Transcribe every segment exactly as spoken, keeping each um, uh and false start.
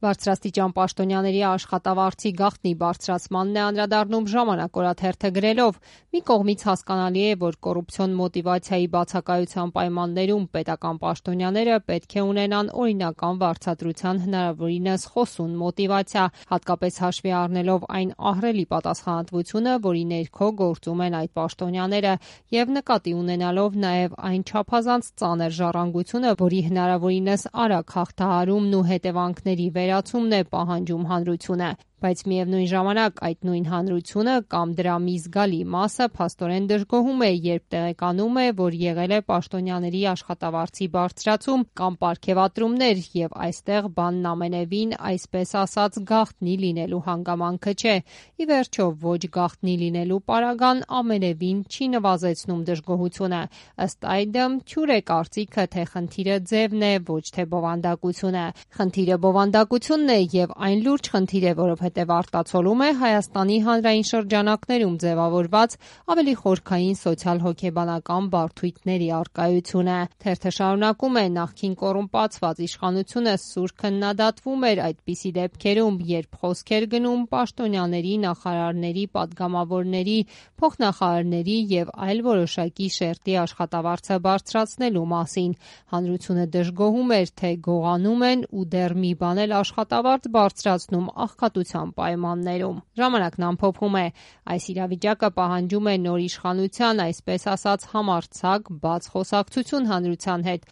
Բարձրաստիճան պաշտոնյաների աշխատավարձի գաղտնի բարձրացմանն է անդրադառնում «Ժամանակ» օրաթերթը գրելով. «Մի կողմից հասկանալի է, որ կոռուպցիոն մոտիվացիայի բացակայության պայմաններում պետական պաշտոնյաները պետք է ունենան օրինական վարձատրության հնարավորինս խոսուն մոտիվացիա, հատկապես հաշվի առնելով այն ահռելի պատասխանատվությունը, որի ներքո գործում են այդ պաշտոնյաները, եւ նկատի ունենալով նաեւ այն չափազանց ծանր ժառանգությունը, որի հնարավորինս արագ հաղթահարումն ու հետևանքների վերացումն է պահանջում հանրությունը։ Բայց միևնույն ժամանակ այդ նույն հանրությունը կամ դրա մի զգալի մասը փաստորեն դժգոհում է, երբ տեղեկանում է, որ եղել է պաշտոնյաների աշխատավարձի բարձրացում կամ պարգևատրումներ, եւ այստեղ բանն ամենևին, այսպես ասած, գաղտնի լինելու հանգամանքը չէ։ Ի վերջո, ոչ գաղտնի լինելու պարագան ամենևին չի նվազեցնում դժգոհությունը։ Ըստ այդմ, թյուր է կարծիքը, թե խնդիրը ձևն է, ոչ թե բովանդակությունը։ Խնդիրը բովանդակությունն է եւ այն լուրջ խնդիր է, որով հետև արտացոլում է Հայաստանի հանրային շրջանակներում ձևավորված ավելի խորքային սոցիալ-հոգեբանական բարդույթների առկայությունը։ Թերթը շարունակում է. նախքին կոռումպացված իշխանությունը սուր քննադատվում էր այդպիսի դեպքերում, երբ խոսք էր գնում պաշտոնյաների, նախարարների, պատգամավորների, փոխնախարարների եւ այլ որոշակի շերտի աշխատավարձը բարձրացնելու մասին։ Հանրությունը դժգոհում էր, թե գողանում են ու դեռ մի բան էլ աշխատավարձ բարձրացնում աղքատության պայմաններում։ Ժամանակն ամփոփում է. այս իրավիճակը պահանջում է նոր իշխանության, այսպես ասած, համարձակ, բաց խոսակցություն հանրության հետ։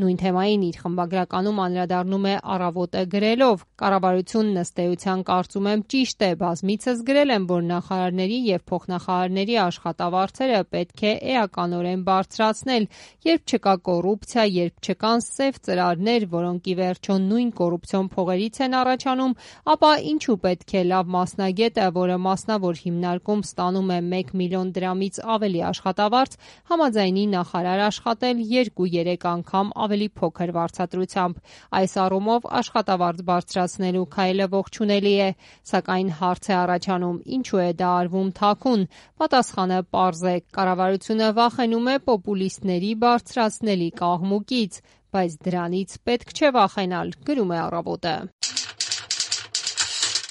Նույն թեմային իր խմբագրականում անդրադառնում է «Առավոտ»-ը գրելով. «Կառավարությունն ըստ էության կարծում եմ ճիշտ է, բազմիցս գրել եմ, որ նախարարների եւ փոխնախարարների աշխատավարձերը պետք է էականորեն բարձրացնել, երբ չկա կոռուպցիա, երբ չկան սև ծրարներ, որոնք ի վերջո նույն կոռուպցիոն փողերից են առաջանում, ապա ինչու պետք է լավ մասնագետը, որը մասնավոր հիմնարկում ստանում է մեկ միլիոն դրամից ավելի աշխատավարձ, համաձայնի նախարար աշխատել երկու-երեք անգամ ավելի փոքր վարձատրությամբ։ Այս առումով աշխատավարձ բարձրացնելու քայլը ողջունելի է, սակայն հարց է առաջանում՝ ինչու է դա արվում թաքուն։ Պատասխանը պարզ է՝ կառավարությունը վախենում է պոպուլիստների բարձրացնելիք աղմուկից, բայց դրանից պետք չէ վախենալ», գրում է «Առավոտ»-ը։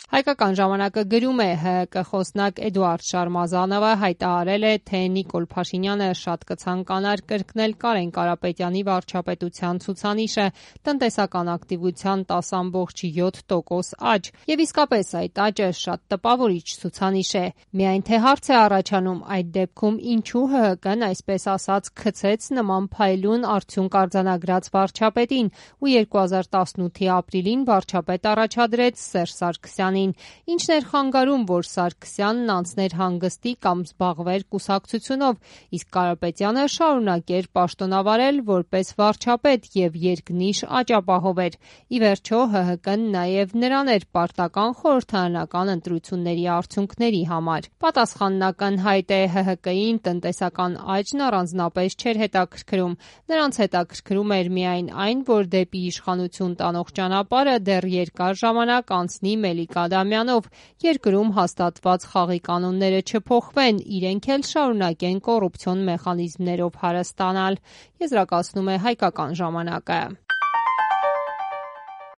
Հայկական ժամանակը գրում է. ՀՀԿ խոսնակ Էդուարդ Շարմազանովը հայտարարել է, թե Նիկոլ Փաշինյանը շատ կցանկանար կրկնել Կարեն Կարապետյանի վարչապետության ցուցանիշը՝ տնտեսական ակտիվության տասը ամբողջ յոթ տոկոս աճ։ Եվ իսկապես այդ աճը շատ տպավորիչ ցուցանիշ է։ Միայն թե հարց է առաջանում՝ այդ դեպքում ինչու ՀՀԿ-ն, այսպես ասած, քցեց նման փայլուն արդյունք արձանագրած վարչապետին ու երկու հազար տասնութի ապրիլին վարչապետ առաջադրեց Սերժ Սարգսյանին։ Ինչն էր խանգարում, որ Սարգսյանն անցներ հանգստի կամ զբաղվեր կուսակցությունով, իսկ Կարապետյանը շարունակեր պաշտոնավարել որպես վարչապետ եւ երկնիշ աճապահով էր։ Ի վերջո ՀՀԿ-ն նաեւ նրան էր պարտական խորհրդարանական ընտրությունների արդյունքների համար։ Պատասխանն ակնհայտ է՝ ՀՀԿ-ին տնտեսական աճն առանձնապես չէր հետաքրքրում։ Նրանց հետաքրքրում էր միայն այն, որ դեպի իշխանություն տանող ճանապարհը դեռ երկար ժամանակ անցնի Մելիք Ադամյանով, երկրում հաստատված խաղի կանոնները չփոխվեն, իրենք էլ շարունակեն կոռուպցիոն մեխանիզմներով հարստանալ, եզրակացնում է «Հայկական ժամանակը»։